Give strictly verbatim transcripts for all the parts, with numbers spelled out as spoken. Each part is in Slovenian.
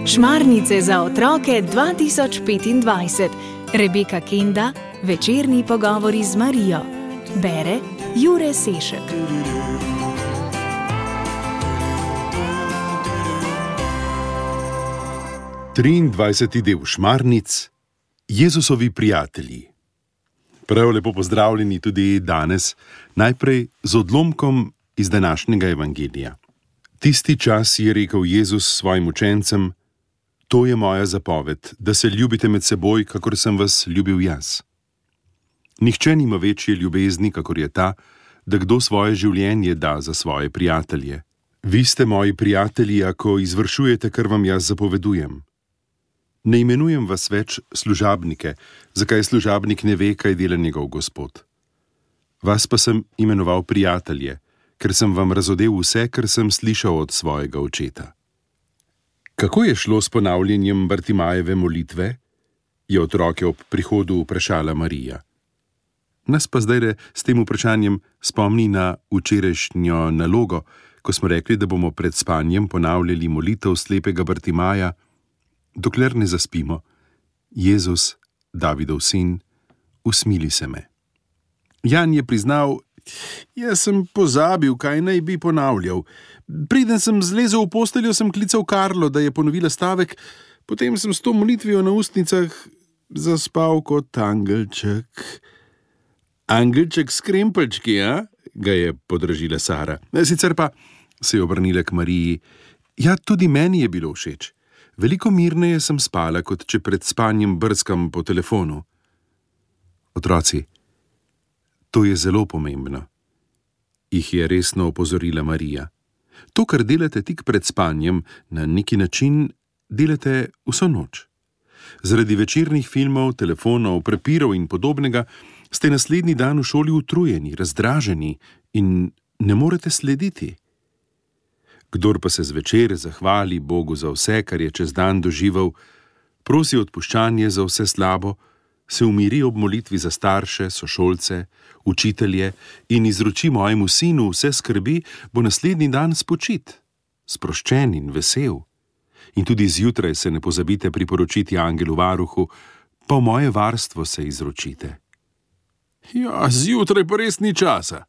Šmarnice za otroke dva tisoč petindvajset. Rebeka Kenda, večerni pogovori z Marijo. Bere Jure Sešek. triindvajseti del Šmarnic, Jezusovi prijatelji. Prav lepo pozdravljeni tudi danes, najprej z odlomkom iz današnjega evangelija. Tisti čas je rekel Jezus svojim učencem: To je moja zapoved, da se ljubite med seboj, kakor sem vas ljubil jaz. Nihče nima večje ljubezni, kakor je ta, da kdo svoje življenje da za svoje prijatelje. Vi ste moji prijatelji, ako izvršujete, kar vam jaz zapovedujem. Ne imenujem vas več služabnike, zakaj služabnik ne ve, kaj dela njegov gospod. Vas pa sem imenoval prijatelje, ker sem vam razodel vse, kar sem slišal od svojega očeta. Kako je šlo s ponavljanjem Bartimajeve molitve? Je otroke ob prihodu vprašala Marija. Nas pa zdaj s tem vprašanjem spomni na včerajšnjo nalogo, ko smo rekli, da bomo pred spanjem ponavljali molitev slepega Bartimaja, dokler ne zaspimo: Jezus, Davidov sin, usmili se me. Jan je priznal: Jaz sem pozabil, kaj naj bi ponavljal. Preden sem zlezel v posteljo, sem klical Karlo, da je ponovila stavek, potem sem s to molitvijo na ustnicah zaspal kot angelček. Angelček s krempeljčki, a? Ga je podražila Sara. Sicer pa, se je obrnila k Mariji, ja, tudi meni je bilo všeč. Veliko mirneje sem spala, kot če pred spanjem brskam po telefonu. Otroci, to je zelo pomembno, jih je resno opozorila Marija. To, kar delate tik pred spanjem, na neki način delate vso noč. Zaradi večernih filmov, telefonov, prepirov in podobnega ste naslednji dan v šoli utrujeni, razdraženi in ne morete slediti. Kdor pa se zvečer zahvali Bogu za vse, kar je čez dan doživel, prosi odpuščanje za vse slabo, se umiri ob molitvi za starše, sošolce, učitelje in izroči mojemu sinu vse skrbi, bo naslednji dan spočit, sproščen in vesel. In tudi zjutraj se ne pozabite priporočiti angelu varuhu, pa v moje varstvo se izročite. Ja, zjutraj pa res ni časa.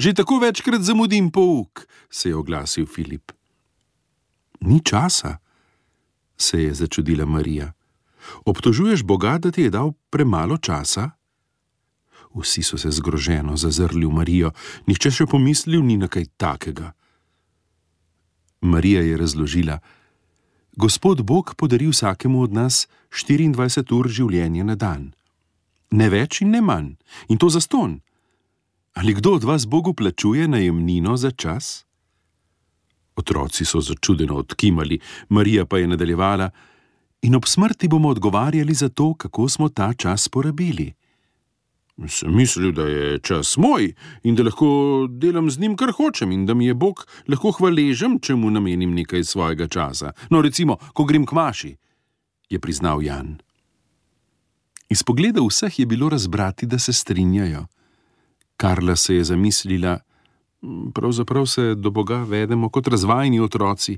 Že tako večkrat zamudim pouk, se je oglasil Filip. Ni časa, se je začudila Marija. Obtožuješ Boga, da ti je dal premalo časa? Vsi so se zgroženo zazrli v Marijo, nihče še pomislil ni na kaj takega. Marija je razložila: Gospod Bog podari vsakemu od nas štiriindvajset ur življenja na dan. Ne več in ne manj, in to zastonj. Ali kdo od vas Bogu plačuje najemnino za čas? Otroci so začudeno odkimali, Marija pa je nadaljevala: In ob smrti bomo odgovarjali za to, kako smo ta čas porabili. Sem mislil, da je čas moj in da lahko delam z njim, kar hočem, in da mi je Bog lahko hvaležen, če mu namenim nekaj svojega časa. No, recimo, ko grem k maši, je priznal Jan. Iz pogleda vseh je bilo razbrati, da se strinjajo. Karla se je zamislila: Pravzaprav se do Boga vedemo kot razvajeni otroci,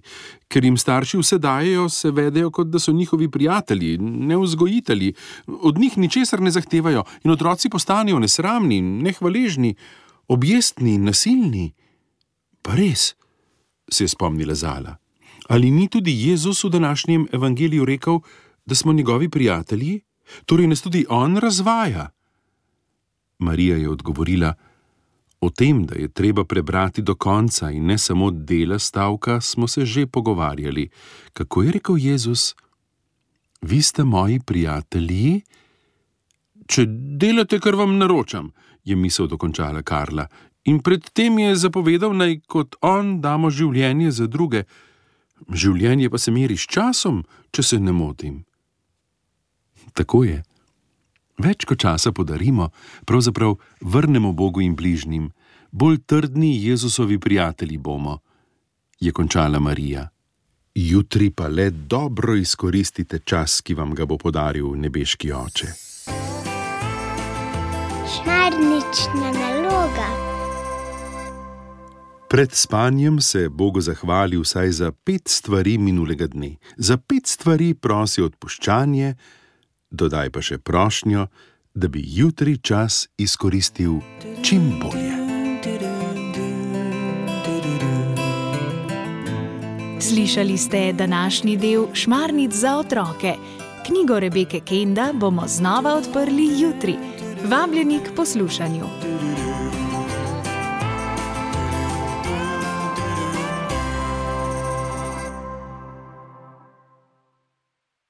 ker jim starši vse dajejo, se vedejo, kot da so njihovi prijatelji, ne vzgojitelji, od njih ničesar ne zahtevajo in otroci postanejo nesramni, nehvaležni, objestni, nasilni. Pa res, se je spomnila Zala. Ali ni tudi Jezus v današnjem evangeliju rekel, da smo njegovi prijatelji? Torej nas tudi on razvaja. Marija je odgovorila: O tem, da je treba prebrati do konca in ne samo dela stavka, smo se že pogovarjali. Kako je rekel Jezus? Vi ste moji prijatelji? Če delate, kar vam naročam, je misel dokončala Karla. In pred tem je zapovedal, naj kot on damo življenje za druge. Življenje pa se meri s časom, če se ne motim. Tako je. Več ko časa podarimo, pravzaprav vrnemo Bogu in bližnjim. Bolj trdni Jezusovi prijatelji bomo, je končala Marija. Jutri pa le dobro izkoristite čas, ki vam ga bo podaril nebeški oče. Šmarnična naloga. Pred spanjem se Bogu zahvali vsaj za pet stvari minulega dne. Za pet stvari prosi odpuščanje, dodaj pa še prošnjo, da bi jutri čas izkoristil čim bolje. Slišali ste današnji del Šmarnic za otroke. Knjigo Rebeke Kenda bomo znova odprli jutri. Vabljeni k poslušanju.